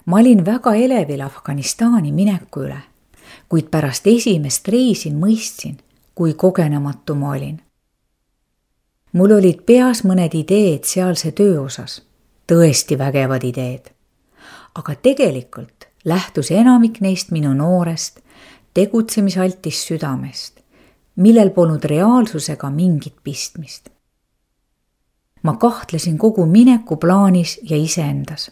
Ma olin väga elevil Afganistani mineku üle, kuid pärast esimest reisi mõistsin, kui kogenematu ma olin. Mul olid peas mõned ideed sealse töö osas, tõesti vägevad ideed. Aga tegelikult lähtus enamik neist minu noorest, tegutsemisaltist südamest, millel polnud reaalsusega mingit pistmist. Ma kahtlesin kogu mineku plaanis ja iseendas.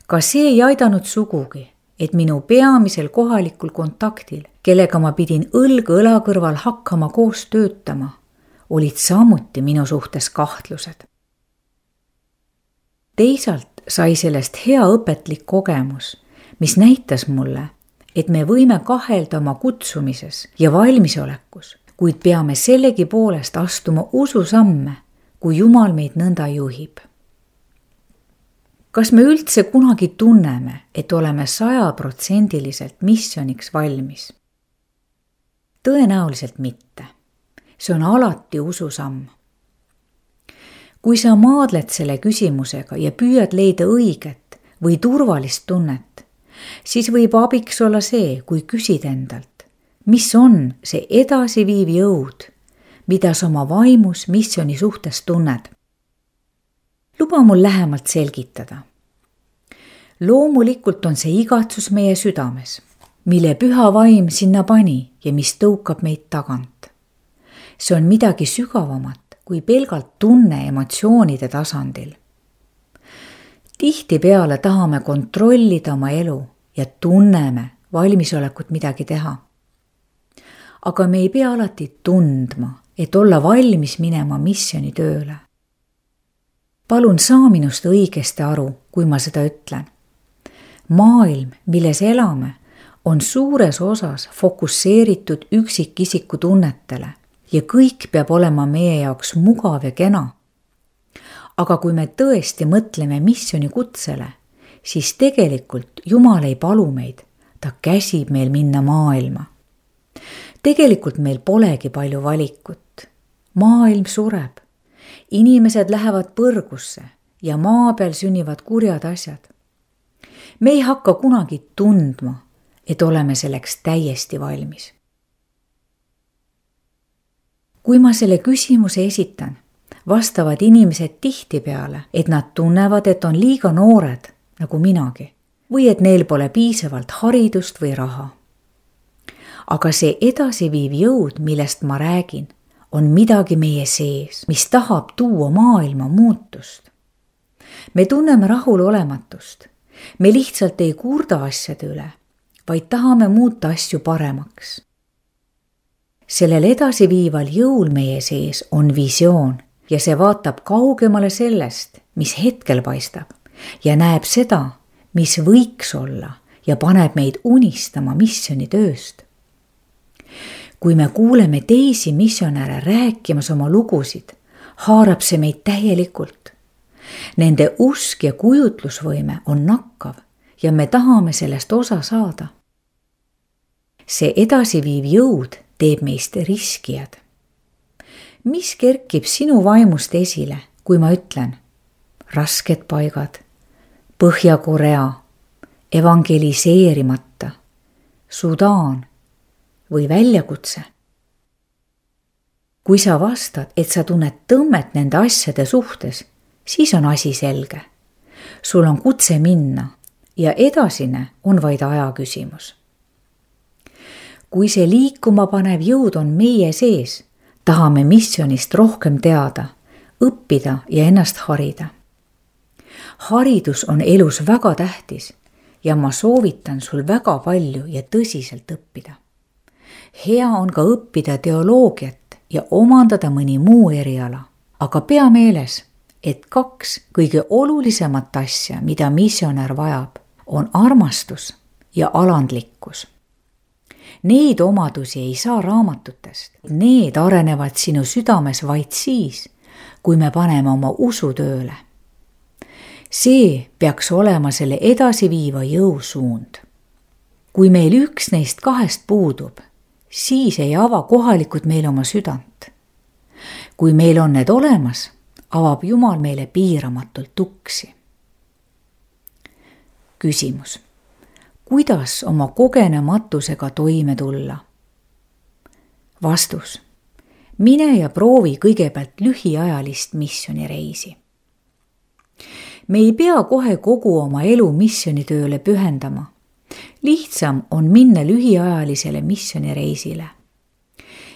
Ka see ei aidanud sugugi, et minu peamisel kohalikul kontaktil, kellega ma pidin õlg õla kõrval hakkama koos töötama, olid samuti minu suhtes kahtlused. Teisalt sai sellest hea õpetlik kogemus, mis näitas mulle, et me võime kahelda oma kutsumises ja valmisolekus, kuid peame sellegi poolest astuma ususamme, kui Jumal meid nõnda juhib. Kas me üldse kunagi tunneme, et oleme 100% missiooniks valmis? Tõenäoliselt mitte. See on alati ususamm. Kui sa maadled selle küsimusega ja püüad leida õiget või turvalist tunnet, siis võib abiks olla see, kui küsid endalt, mis on see edasiviiv jõud, mida sa oma vaimus missiooni suhtes tunned. Luba mul lähemalt selgitada. Loomulikult on see igatsus meie südames, mille püha vaim sinna pani ja mis tõukab meid tagant. See on midagi sügavamat kui pelgalt tunne emotsioonide tasandil. Tihtipeale tahame kontrollida oma elu ja tunneme valmisolekut midagi teha. Aga me ei pea alati tundma, et olla valmis minema missioonitööle. Palun saa minust õigesti aru, kui ma seda ütlen. Maailm, milles elame, on suures osas fokusseeritud üksikisiku tunnetele ja kõik peab olema meie jaoks mugav ja kena. Aga kui me tõesti mõtleme missiooni kutsele, siis tegelikult Jumal ei palu meid, ta käsib meil minna maailma. Tegelikult meil polegi palju valikut. Maailm sureb. Inimesed lähevad põrgusse ja maa peal sünnivad kurjad asjad. Me ei hakka kunagi tundma, et oleme selleks täiesti valmis. Kui ma selle küsimuse esitan, vastavad inimesed tihtipeale, et nad tunnevad, et on liiga noored, nagu minagi, või et neil pole piisavalt haridust või raha. Aga see edasiviiv jõud, millest ma räägin, on midagi meie sees, mis tahab tuua maailma muutust. Me tunneme rahulolematust. Me lihtsalt ei kurda asjade üle, vaid tahame muuta asju paremaks. Sellel edasiviival jõul meie sees on visioon ja see vaatab kaugemale sellest, mis hetkel paistab ja näeb seda, mis võiks olla ja paneb meid unistama missioonitööst. Kui me kuuleme teisi missionäre rääkimas oma lugusid, haarab see meid täielikult. Nende usk ja kujutlusvõime on nakkav ja me tahame sellest osa saada. See edasiviiv jõud teeb meist riskijad. Mis kerkib sinu vaimust esile, kui ma ütlen rasked paigad, Põhja-Korea, evangeliseerimata, Sudaan või väljakutse? Kui sa vastad, et sa tunned tõmmet nende asjade suhtes, siis on asi selge. Sul on kutse minna ja edasine on vaid aja küsimus. Kui see liikuma panev jõud on meie sees, tahame missionist rohkem teada, õppida ja ennast harida. Haridus on elus väga tähtis ja ma soovitan sul väga palju ja tõsiselt õppida. Hea on ka õppida teoloogiat ja omandada mõni muu eriala, aga pea meeles, et 2 kõige olulisemat asja, mida missionär vajab, on armastus ja alandlikkus. Neid omadusi ei saa raamatutest. Need arenevad sinu südames vaid siis, kui me paneme oma usu tööle. See peaks olema selle edasiviiva jõusuund. Kui meil üks neist 2 puudub, siis ei ava kohalikud meil oma südant. Kui meil on need olemas, avab Jumal meile piiramatult uksi. küsimus. Kuidas oma kogenematusega toime tulla? Vastus. Mine ja proovi kõigepealt lühiajalist missioonireisi. Me ei pea kohe kogu oma elu missioonitööle pühendama. Lihtsam on minna lühiajalisele missioonireisile.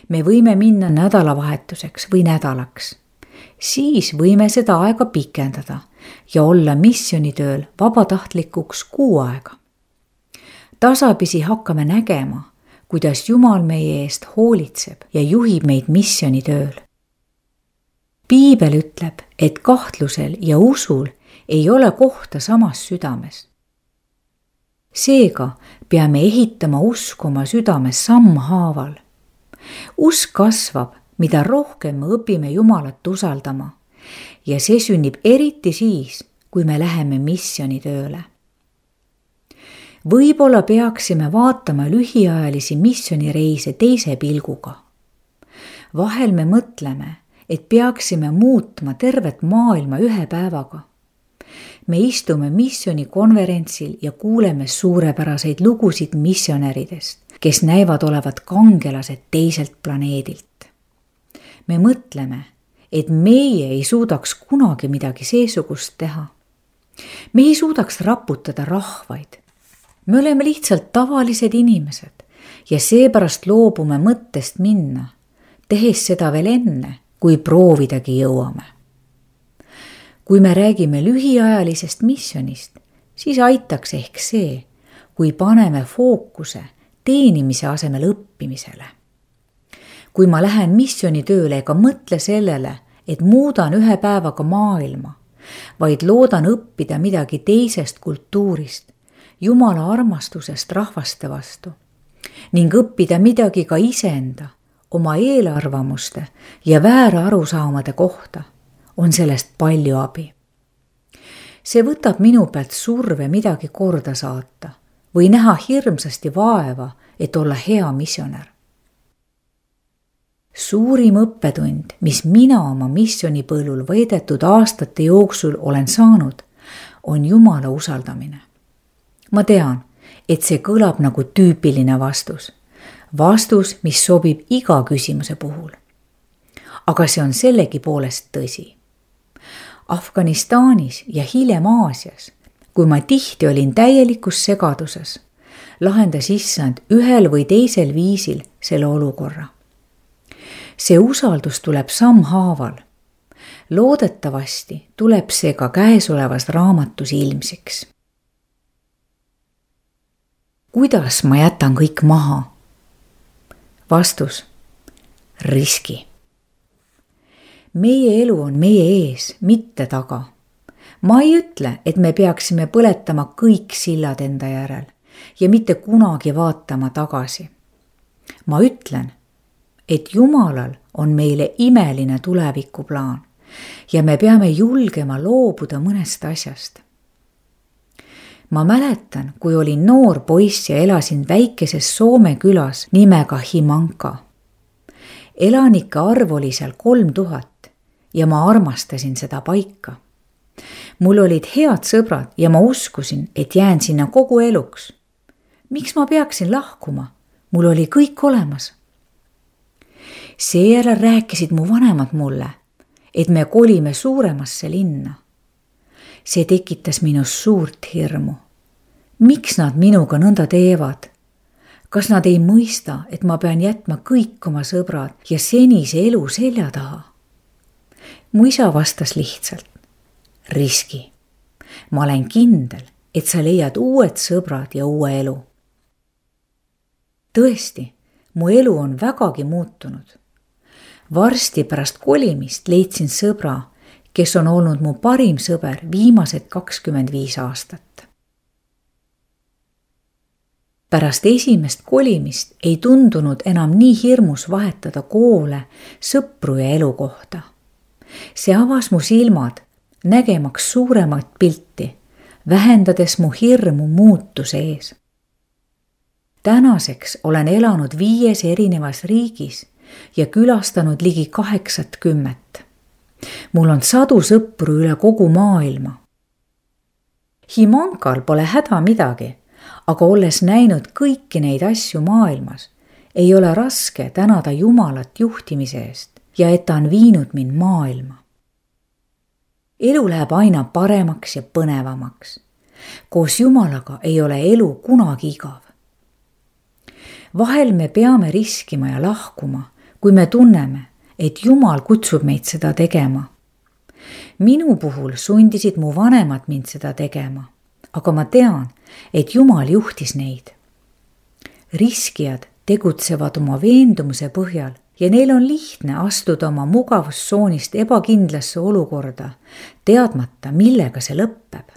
Me võime minna nädalavahetuseks või nädalaks. Siis võime seda aega pikendada ja olla missioonitööl vabatahtlikuks 6 aega. Tasapisi hakkame nägema, kuidas Jumal meie eest hoolitseb ja juhib meid missioonitööl. Piibel ütleb, et kahtlusel ja usul ei ole kohta samas südames. Seega peame ehitama usku oma südames sammhaaval. Usk kasvab, mida rohkem me õpime Jumalat usaldama ja see sünnib eriti siis, kui me läheme missioonitööle. Võib-olla peaksime vaatama lühiajalisi missioonireise teise pilguga. Vahel me mõtleme, et peaksime muutma tervet maailma 1 päevaga. Me istume missioonikonverentsil ja kuuleme suurepäraseid lugusid missionäridest, kes näivad olevat kangelased teiselt planeedilt. Me mõtleme, et meie ei suudaks kunagi midagi seesugust teha. Me ei suudaks raputada rahvaid. Me oleme lihtsalt tavalised inimesed ja seepärast loobume mõttest minna, tehes seda veel enne, kui proovidagi jõuame. Kui me räägime lühiajalisest missionist, siis aitaks ehk see, kui paneme fookuse teenimise asemel õppimisele. Kui ma lähen missioonitööle ega mõtle sellele, et muudan 1 päevaga maailma, vaid loodan õppida midagi teisest kultuurist, Jumala armastusest rahvaste vastu ning õppida midagi ka iseenda, oma eelarvamuste ja väära arusaamade kohta, on sellest palju abi. See võtab minu pealt surve midagi korda saata või näha hirmsasti vaeva, et olla hea missionär. Suurim õppetund, mis mina oma missioonipõllul veedetud aastate jooksul olen saanud, on Jumala usaldamine. Ma tean, et see kõlab nagu tüüpiline vastus. Vastus, mis sobib iga küsimuse puhul. Aga see on sellegi poolest tõsi. Afganistanis ja hiljem Aasias, kui ma tihti olin täielikus segaduses, lahendas Issand ühel või teisel viisil selle olukorra. See usaldus tuleb sammhaaval. Loodetavasti tuleb see ka käesolevas raamatus ilmsiks. Kuidas ma jätan kõik maha? Vastus. Riski. Meie elu on meie ees, mitte taga. Ma ei ütle, et me peaksime põletama kõik sillad enda järel ja mitte kunagi vaatama tagasi. Ma ütlen, et Jumalal on meile imeline tulevikuplaan ja me peame julgema loobuda mõnest asjast. Ma mäletan, kui olin noor poiss ja elasin väikeses Soome külas nimega Himanka. Elanike arv oli seal 3000 ja ma armastasin seda paika. Mul olid head sõbrad ja ma uskusin, et jään sinna kogu eluks. Miks ma peaksin lahkuma? Mul oli kõik olemas. Seejärel rääkisid mu vanemad mulle, et me kolime suuremasse linna. See tekitas minus suurt hirmu. Miks nad minuga nõnda teevad? Kas nad ei mõista, et ma pean jätma kõik oma sõbrad ja senise elu selja taha? Mu isa vastas lihtsalt. Riski. Ma olen kindel, et sa leiad uued sõbrad ja uue elu. Tõesti, mu elu on vägagi muutunud. Varsti pärast kolimist leidsin sõbra, kes on olnud mu parim sõber viimased 25 aastat. Pärast esimest kolimist ei tundunud enam nii hirmus vahetada koole, sõpru ja elukohta. See avas mu silmad, nägemaks suuremat pilti, vähendades mu hirmu muutuse ees. Tänaseks olen elanud 5 erinevas riigis ja külastanud ligi 80. Mul on 100 sõpru üle kogu maailma. Himankal pole häda midagi, aga olles näinud kõiki neid asju maailmas, ei ole raske tänada Jumalat juhtimise eest ja et ta on viinud mind maailma. Elu läheb aina paremaks ja põnevamaks. Koos Jumalaga ei ole elu kunagi igav. Vahel me peame riskima ja lahkuma, kui me tunneme, et Jumal kutsub meid seda tegema. Minu puhul sundisid mu vanemad mind seda tegema, aga ma tean, et Jumal juhtis neid. Riskijad tegutsevad oma veendumuse põhjal ja neil on lihtne astuda oma mugavustsoonist ebakindlasse olukorda, teadmata, millega see lõpeb.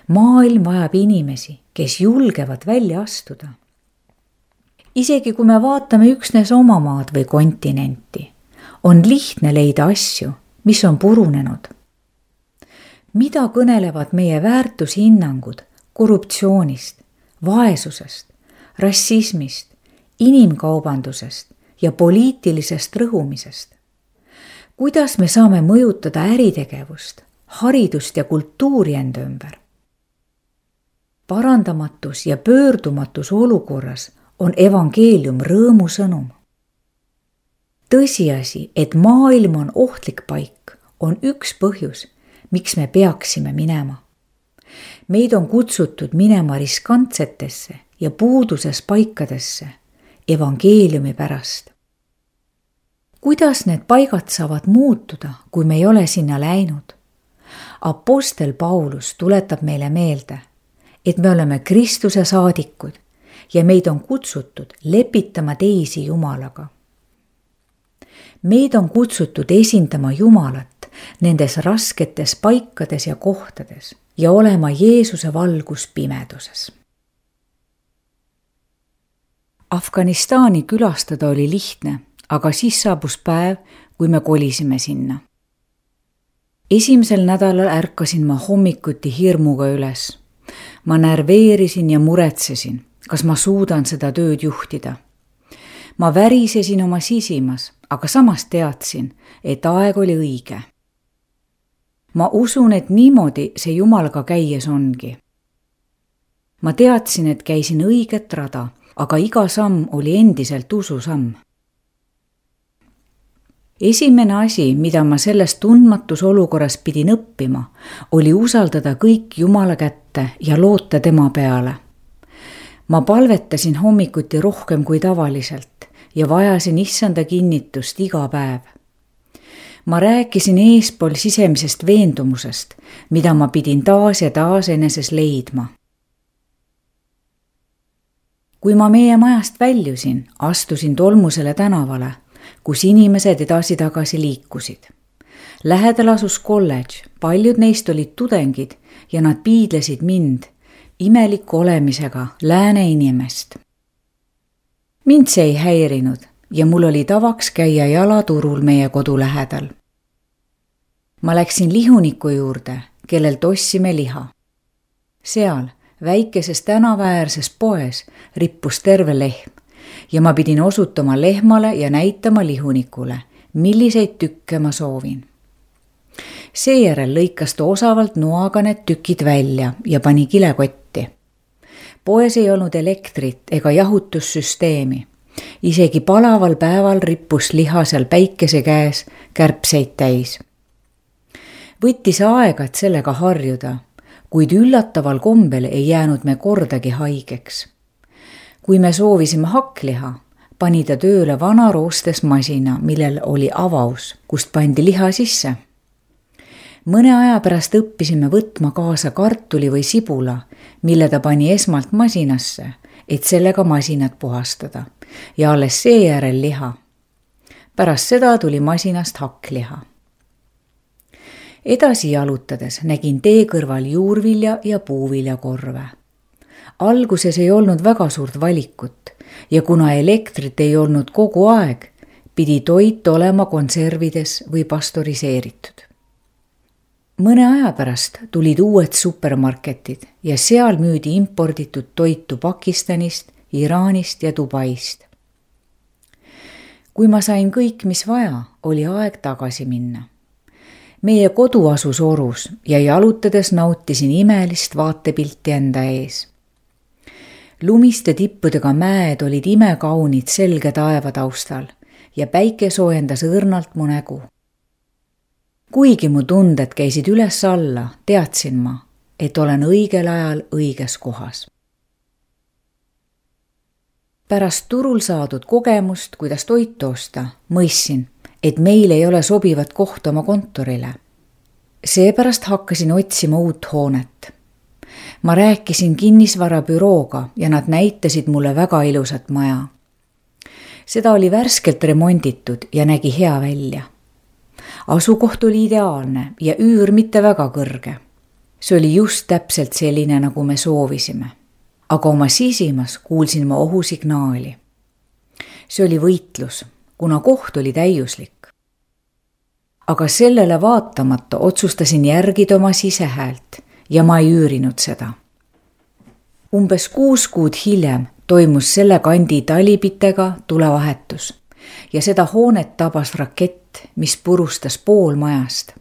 Maailm vajab inimesi, kes julgevad välja astuda. Isegi kui me vaatame üksnes oma maad või kontinenti, on lihtne leida asju, mis on purunenud. Mida kõnelevad meie väärtushinnangud korruptsioonist, vaesusest, rassismist, inimkaubandusest ja poliitilisest rõhumisest? Kuidas me saame mõjutada äritegevust, haridust ja kultuuri enda ümber? Parandamatus ja pöördumatus olukorras on evangeelium rõõmusõnum. Tõsiasi, et maailm on ohtlik paik, on üks põhjus, miks me peaksime minema. Meid on kutsutud minema riskantsetesse ja puuduses paikadesse evangeeliumi pärast. Kuidas need paigad saavad muutuda, kui me ei ole sinna läinud? Apostel Paulus tuletab meile meelde, et me oleme Kristuse saadikud ja meid on kutsutud lepitama teisi Jumalaga. Meid on kutsutud esindama Jumalat nendes rasketes paikades ja kohtades ja olema Jeesuse valgus pimeduses. Afganistani külastada oli lihtne, aga siis saabus päev, kui me kolisime sinna. Esimesel nädalal ärkasin ma hommikuti hirmuga üles. Ma närveerisin ja muretsesin, kas ma suudan seda tööd juhtida. Ma värisesin oma sisimas, aga samas teadsin, et aeg oli õige. Ma usun, et niimoodi see Jumalaga käies ongi. Ma teadsin, et käisin õiget rada, aga iga samm oli endiselt ususamm. Esimene asi, mida ma selles tundmatus olukorras pidin õppima, oli usaldada kõik Jumala kätte ja loota tema peale. Ma palvetasin hommikuti rohkem kui tavaliselt ja vajasin issanda kinnitust iga päev. Ma rääkisin eespool sisemisest veendumusest, mida ma pidin taas ja taas eneses leidma. Kui ma meie majast väljusin, astusin tolmusele tänavale, kus inimesed edasi-tagasi liikusid. Lähedal asus kolledž, paljud neist olid tudengid ja nad piidlesid mind, imeliku olemisega lääne inimest. Mind see ei häirinud ja mul oli tavaks käia jalaturul meie kodu lähedal. Ma läksin lihuniku juurde, kellelt ostsime liha. Seal, väikeses tänavaäärses poes, rippus terve lehm ja ma pidin osutama lehmale ja näitama lihunikule, milliseid tükke ma soovin. Seejärel lõikas ta osavalt noaga need tükid välja ja pani kilekotti. Poes ei olnud elektrit ega jahutussüsteemi. Isegi palaval päeval rippus liha seal päikese käes kärbseid täis. Võttis aega, et sellega harjuda, kuid üllataval kombel ei jäänud me kordagi haigeks. Kui me soovisime hakkliha, pani ta tööle vana roostes masina, millel oli avaus, kust pandi liha sisse. Mõne aja pärast õppisime võtma kaasa kartuli või sibula, mille ta pani esmalt masinasse, et sellega masinat puhastada, ja alles seejärel liha. Pärast seda tuli masinast hakkliha. Edasi jalutades nägin tee kõrval juurvilja ja puuviljakorve. Alguses ei olnud väga suurt valikut ja kuna elektrit ei olnud kogu aeg, pidi toit olema konservides või pastoriseeritud. Mõne aja pärast tulid uued supermarketid ja seal müüdi imporditud toitu Pakistanist, Iraanist ja Dubaist. Kui ma sain kõik, mis vaja, oli aeg tagasi minna. meie kodu asus orus ja jalutades nautisin imelist vaatepilti enda ees. Lumiste tippudega mäed olid imekaunid selge taeva taustal ja päike soojendas õrnalt mu nägu. Kuigi mu tunded käisid üles-alla, teadsin ma, et olen õigel ajal õiges kohas. Pärast turul saadud kogemust, kuidas toitu osta, mõistsin, et meil ei ole sobivat kohta oma kontorile. Seepärast hakkasin otsima uut hoonet. Ma rääkisin kinnisvarabürooga ja nad näitasid mulle väga ilusat maja. Seda oli värskelt remonditud ja nägi hea välja. Asukoht oli ideaalne ja üür mitte väga kõrge. See oli just täpselt selline, nagu me soovisime. Aga oma sisimas kuulsin ma ohusignaali. See oli võitlus, kuna koht oli täiuslik. Aga sellele vaatamata otsustasin järgida oma sisehäält ja ma ei üürinud seda. Umbes 6 kuud hiljem toimus selle kandi talipitega tulevahetus ja seda hoonet tabas rakett, mis purustas pool majast.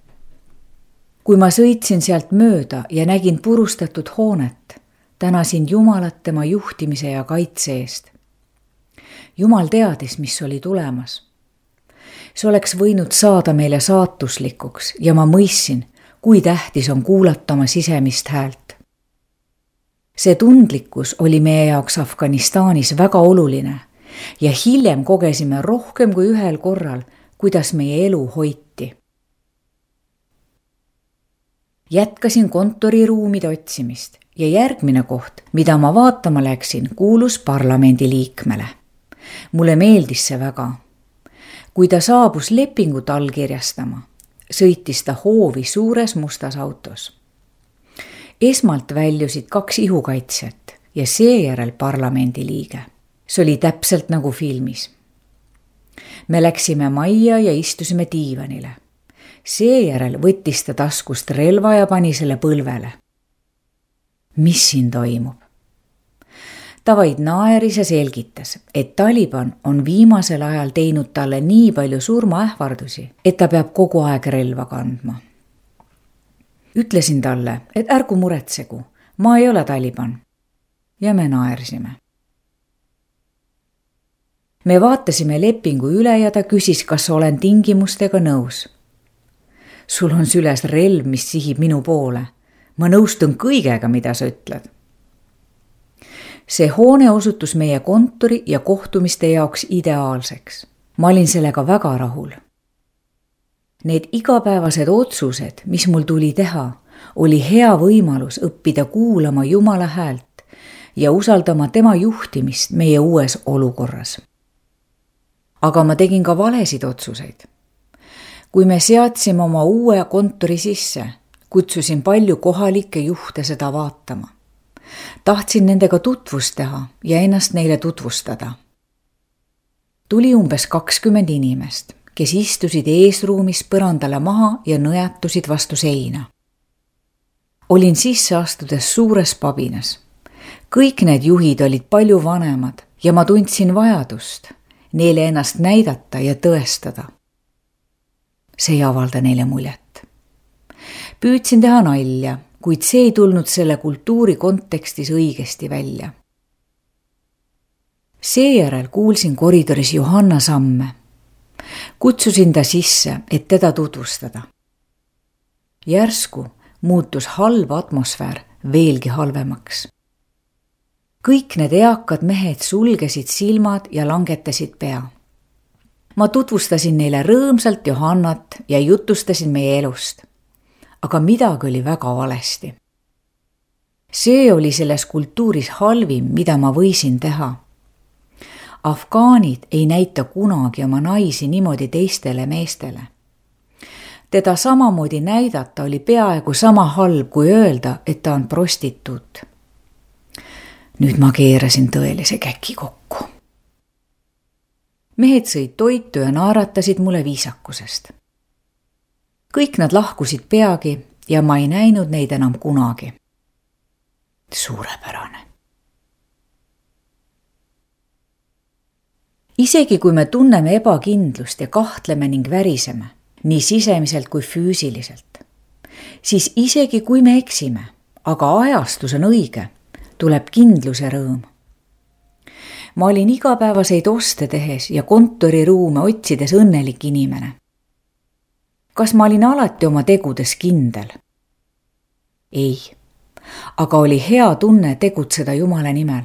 Kui ma sõitsin sealt mööda ja nägin purustatud hoonet, tänasin Jumalat tema juhtimise ja kaitse eest. Jumal teadis, mis oli tulemas. See oleks võinud saada meile saatuslikuks ja ma mõistsin, kui tähtis on kuulata oma sisemist häält. See tundlikkus oli meie jaoks Afganistanis väga oluline ja hiljem kogesime rohkem kui ühel korral, kuidas meie elu hoiti. Jätkasin kontoriruumide otsimist ja järgmine koht, mida ma vaatama läksin, kuulus parlamendi liikmele. Mulle meeldis see väga. Kui ta saabus lepingut allkirjastama, sõitis ta hoovi suures mustas autos. Esmalt väljusid 2 ihukaitsjat ja seejärel parlamendi liige. See oli täpselt nagu filmis. Me läksime majja ja istusime diivanile. Seejärel võttis ta taskust relva ja pani selle põlvele. Mis siin toimub? Ta vaid naeris ja selgitas, et Taliban on viimasel ajal teinud talle nii palju surmaähvardusi, et ta peab kogu aeg relva kandma. Ütlesin talle, et ärgu muretsegu, ma ei ole Taliban. Ja me naersime. Me vaatasime lepingu üle ja ta küsis, kas olen tingimustega nõus. Sul on süles relv, mis sihib minu poole. Ma nõustun kõigega, mida sa ütled. See hoone osutus meie kontori ja kohtumiste jaoks ideaalseks. Ma olin sellega väga rahul. Need igapäevased otsused, mis mul tuli teha, oli hea võimalus õppida kuulama Jumala häält ja usaldama tema juhtimist meie uues olukorras. Aga ma tegin ka valesid otsuseid. Kui me seadsime oma uue kontori sisse, kutsusin palju kohalikke juhte seda vaatama. Tahtsin nendega tutvust teha ja ennast neile tutvustada. Tuli umbes 20 inimest, kes istusid eesruumis põrandale maha ja nõjatusid vastu seina. Olin sisse astudes suures pabinas. Kõik need juhid olid palju vanemad ja ma tundsin vajadust neile ennast näidata ja tõestada. See ei avalda neile muljet. Püüdsin teha nalja, kuid see ei tulnud selle kultuuri kontekstis õigesti välja. Seejärel kuulsin koridoris Johanna samme. Kutsusin ta sisse, et teda tutvustada. Järsku muutus halb atmosfäär veelgi halvemaks. Kõik need eakad mehed sulgesid silmad ja langetasid pea. Ma tutvustasin neile rõõmsalt Johannat ja jutustasin meie elust. Aga midagi oli väga valesti. See oli selles kultuuris halvim, mida ma võisin teha. Afgaanid ei näita kunagi oma naisi niimoodi teistele meestele. Teda samamoodi näidata oli peaaegu sama halb kui öelda, et ta on prostituut. Nüüd ma keerasin tõelise käki kokku. Mehed sõid toitu ja naaratasid mulle viisakusest. Kõik nad lahkusid peagi ja ma ei näinud neid enam kunagi. Suurepärane. Isegi kui me tunneme ebakindlust ja kahtleme ning väriseme, nii sisemiselt kui füüsiliselt. Siis isegi kui me eksime, aga ajastus on õige, tuleb kindluse rõõm. Ma olin igapäevaseid oste tehes ja kontoriruume otsides õnnelik inimene. Kas ma olin alati oma tegudes kindel? Ei, aga oli hea tunne tegutseda Jumala nimel.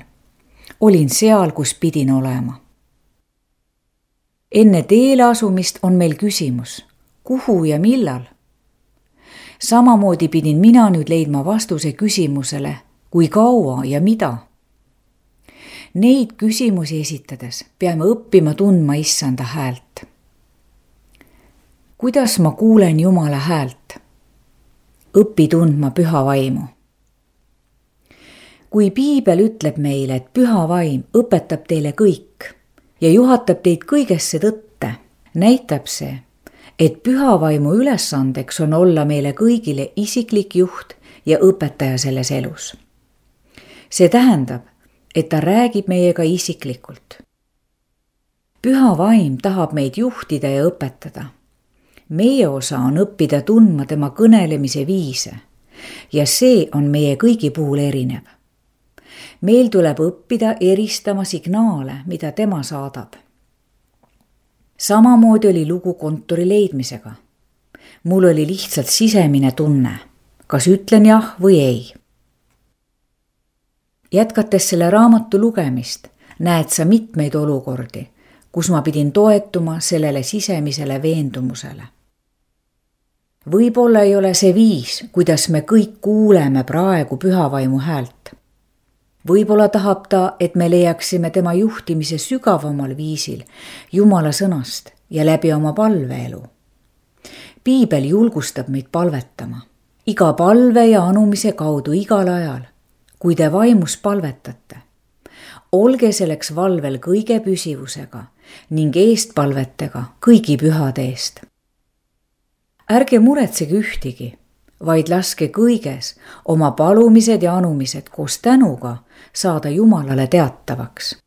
Olin seal, kus pidin olema. Enne teele asumist on meil küsimus, kuhu ja millal? Samamoodi pidin mina nüüd leidma vastuse küsimusele, kui kaua ja mida. Neid küsimusi esitades peame õppima tundma Issanda häält. Kuidas ma kuulen Jumala häält? Õpi tundma püha vaimu. Kui Piibel ütleb meile, et püha vaim õpetab teile kõik ja juhatab teid kõigesse tõtte, näitab see, et püha vaimu ülesandeks on olla meile kõigile isiklik juht ja õpetaja selles elus. See tähendab, et ta räägib meiega isiklikult. Püha vaim tahab meid juhtida ja õpetada. Meie osa on õppida tundma tema kõnelemise viise ja see on meie kõigi puhul erinev. Meil tuleb õppida eristama signaale, mida tema saadab. Samamoodi oli lugu kontori leidmisega. Mul oli lihtsalt sisemine tunne, kas ütlen jah või ei. Jätkates selle raamatu lugemist, näed sa mitmeid olukordi, kus ma pidin toetuma sellele sisemisele veendumusele. Võib-olla ei ole see viis, kuidas me kõik kuuleme praegu pühavaimu häält. Võib-olla tahab ta, et me leiaksime tema juhtimise sügavamal viisil Jumala sõnast ja läbi oma palveelu. Piibel julgustab meid palvetama. Iga palve ja anumise kaudu igal ajal, kui te vaimus palvetate. Olge selleks valvel kõige püsivusega ning eestpalvetega kõigi pühade eest. Ärge muretsege ühtigi, vaid laske kõiges oma palumised ja anumised koos tänuga saada Jumalale teatavaks.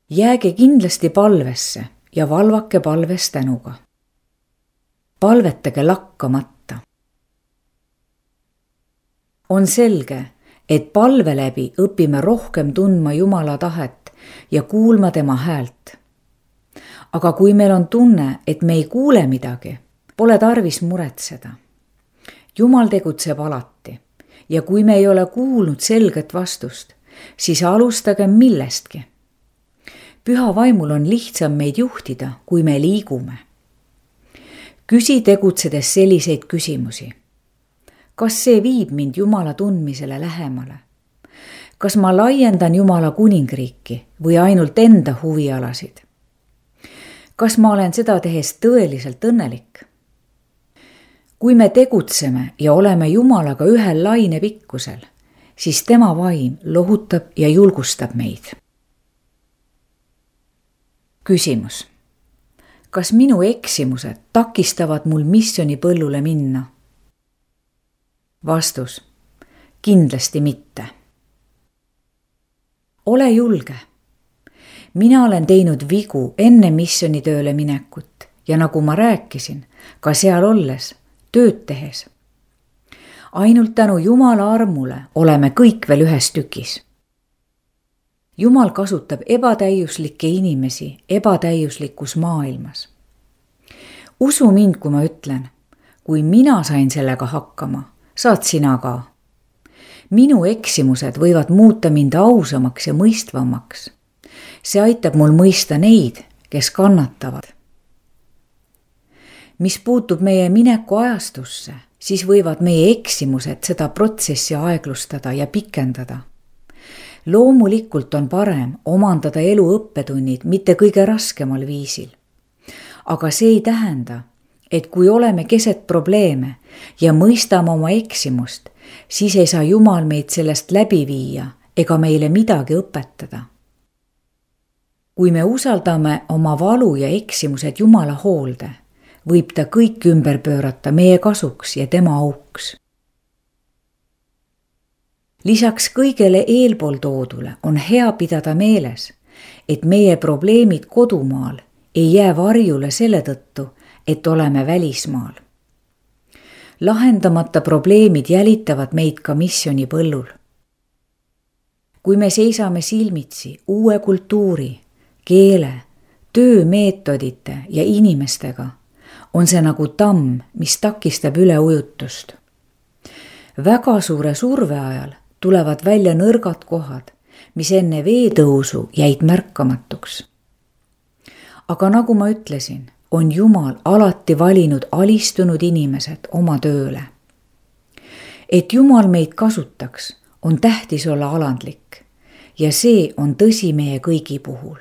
Jääge kindlasti palvesse ja valvake palves tänuga. Palvetage lakkamata. On selge, et palve läbi õpime rohkem tundma Jumala tahet ja kuulma tema häält. Aga kui meil on tunne, et me ei kuule midagi, pole tarvis muretseda. Jumal tegutseb alati ja kui me ei ole kuulnud selget vastust, siis alustage millestki. Püha vaimul on lihtsam meid juhtida, kui me liigume. Küsi tegutsedes selliseid küsimusi. Kas see viib mind Jumala tundmisele lähemale? Kas ma laiendan Jumala kuningriiki või ainult enda huvialasid? Kas ma olen seda tehes tõeliselt õnnelik? Kui me tegutseme ja oleme Jumalaga ühel lainepikkusel, siis tema vaim lohutab ja julgustab meid. Küsimus. Kas minu eksimused takistavad mul missionipõllule minna? Vastus. Kindlasti mitte. Ole julge. Mina olen teinud vigu enne missionitööle minekut ja nagu ma rääkisin, ka seal olles, tööd tehes. Ainult tänu Jumala armule oleme kõik veel ühes tükis. Jumal kasutab ebatäiuslikke inimesi ebatäiuslikus maailmas. Usu mind, kui ma ütlen, kui mina sain sellega hakkama, saad sina ka. Minu eksimused võivad muuta mind ausamaks ja mõistvamaks. See aitab mul mõista neid, kes kannatavad. Mis puutub meie mineku ajastusse, siis võivad meie eksimused seda protsessi aeglustada ja pikendada. Loomulikult on parem omandada elu õppetunnid mitte kõige raskemal viisil. Aga see ei tähenda, et kui oleme keset probleeme ja mõistame oma eksimust, siis ei saa Jumal meid sellest läbi viia ega meile midagi õpetada. Kui me usaldame oma valu ja eksimused Jumala hoolde, võib ta kõik ümber pöörata meie kasuks ja tema auks. Lisaks kõigele eelpool toodule on hea pidada meeles, et meie probleemid kodumaal ei jää varjule selle tõttu, et oleme välismaal. Lahendamata probleemid jälitavad meid ka missioonipõllul. Kui me seisame silmitsi uue kultuuri, keele, töömeetodite ja inimestega, on see nagu tamm, mis takistab üleujutust. Väga suure surve ajal tulevad välja nõrgad kohad, mis enne veetõusu jäid märkamatuks. Aga nagu ma ütlesin, on Jumal alati valinud alistunud inimesed oma tööle. Et Jumal meid kasutaks, on tähtis olla alandlik ja see on tõsi meie kõigi puhul.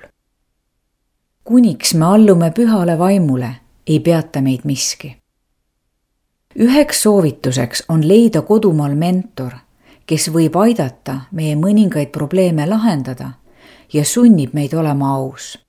Kuniks me allume pühale vaimule, ei peata meid miski. Üheks soovituseks on leida kodumaal mentor, kes võib aidata meie mõningaid probleeme lahendada ja sunnib meid olema aus.